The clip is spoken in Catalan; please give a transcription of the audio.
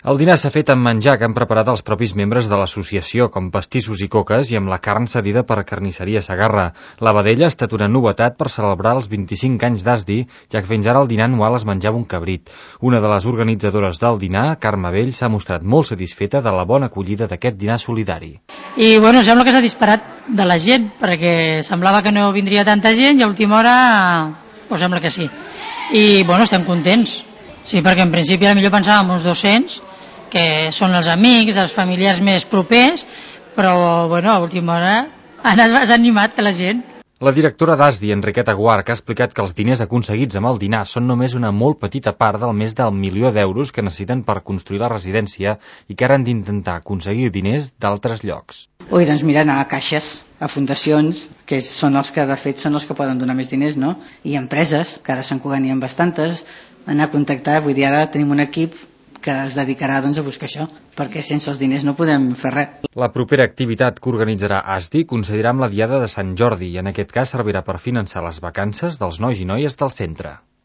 El dinar s'ha fet amb menjar que han preparat els propis membres de l'associació, com pastissos i coques, i amb la carn cedida per Carnisseria Segarra. La vedella ha estat una novetat per celebrar els 25 anys d'Asdi, ja que fins ara el dinar anual es menjava un cabrit. Una de les organitzadores del dinar, Carme Vell, s'ha mostrat molt satisfeta de la bona acollida d'aquest dinar solidari. I sembla que s'ha disparat de la gent, perquè semblava que no vindria tanta gent i a última hora sembla que sí. I estem contents. Sí, perquè en principi millor pensàvem uns 200, que són els amics, els familiars més propers, però a última hora has animat la gent. La directora d'Asdi, Enriqueta Guarch, ha explicat que els diners aconseguits amb el dinar són només una molt petita part del més del milió d'euros que necessiten per construir la residència i que ara han d'intentar aconseguir diners d'altres llocs. Mira, anar a caixes, a fundacions, que són els que de fet són els que poden donar més diners, no? I empreses, que ara Sant Cugat n'hi ha bastantes, anar a contactar, ara tenim un equip que es dedicarà a buscar això, perquè sense els diners no podem fer res. La propera activitat que organitzarà Asdi coincidirà amb la Diada de Sant Jordi i en aquest cas servirà per finançar les vacances dels nois i noies del centre.